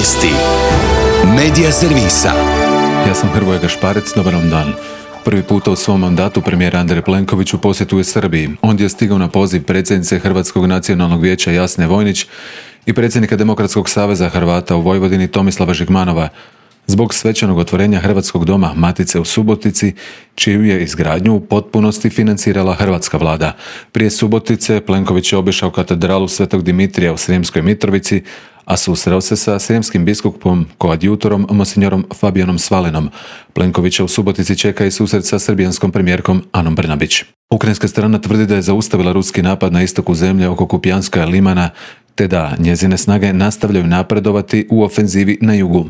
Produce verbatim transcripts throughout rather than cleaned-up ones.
Vijesti Medija servisa. Ja sam Hrvoje Gašparec, dobar vam dan. Prvi puta u svom mandatu premijer Andrej Plenković u posjetu je Srbiji. On je stigao na poziv predsjednice Hrvatskog nacionalnog vijeća Jasne Vojnić i predsjednika Demokratskog saveza Hrvata u Vojvodini Tomislava Žigmanova zbog svečanog otvorenja Hrvatskog doma Matice u Subotici, čiju je izgradnju u potpunosti financirala hrvatska vlada. Prije Subotice Plenković je obišao katedralu Svetog Dimitrija u Sremskoj Mitrovici, a susreo se sa sremskim biskupom koadjutorom monsinjorom Fabijanom Svalenom. Plenkovića u Subotici čeka i susret sa srbijanskom premijerkom Anom Brnabić. Ukrajinska strana tvrdi da je zaustavila ruski napad na istoku zemlje oko Kupijanskoga limana, te da njezine snage nastavljaju napredovati u ofenzivi na jugu.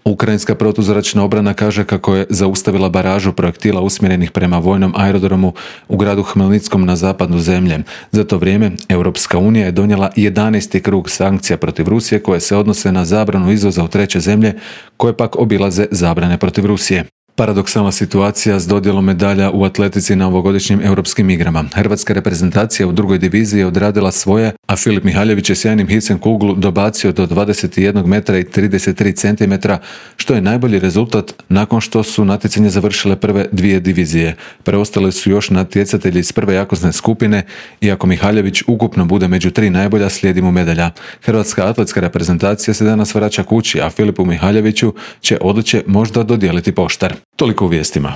Ukrajinska protuzračna obrana kaže kako je zaustavila baražu projektila usmjerenih prema vojnom aerodromu u gradu Hmelnickom na zapadu zemlje. Za to vrijeme Europska unija je donijela jedanaesti krug sankcija protiv Rusije koje se odnose na zabranu izvoza u treće zemlje, koje pak obilaze zabrane protiv Rusije. Paradoksalna situacija s dodjelom medalja u atletici na ovogodišnjim europskim igrama. Hrvatska reprezentacija u drugoj diviziji je odradila svoje, a Filip Mihaljević je sjajnim hicem kuglu dobacio do dvadeset jedan metra i trideset tri centimetra, što je najbolji rezultat nakon što su natjecanje završile prve dvije divizije. Preostale su još natjecatelji iz prve jakosne skupine, iako Mihaljević ukupno bude među tri najbolja, slijedi mu medalja. Hrvatska atletska reprezentacija se danas vraća kući, a Filipu Mihaljeviću će odličje možda dodijeliti poštar. Toliko u vijestima.